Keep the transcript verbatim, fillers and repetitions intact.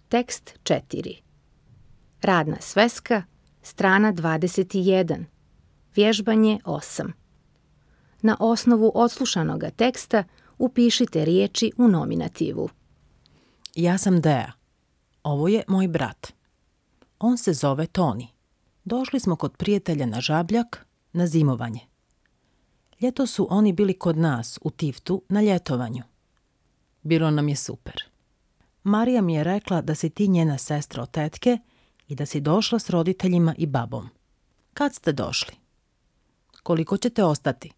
Tekst četiri. Radna sveska, strana dvadeset jedan. Vježbanje osam. Na osnovu odslušanoga teksta upišite riječi u nominativu. Ja sam Dea. Ovo je moj brat. On se zove Toni. Došli smo kod prijatelja na Žabljak na zimovanje. Ljeto su oni bili kod nas u Tiftu na ljetovanju. Bilo nam je super. Marija mi je rekla da si ti njena sestra od tetke i da si došla s roditeljima i babom. Kad ste došli? Koliko ćete ostati?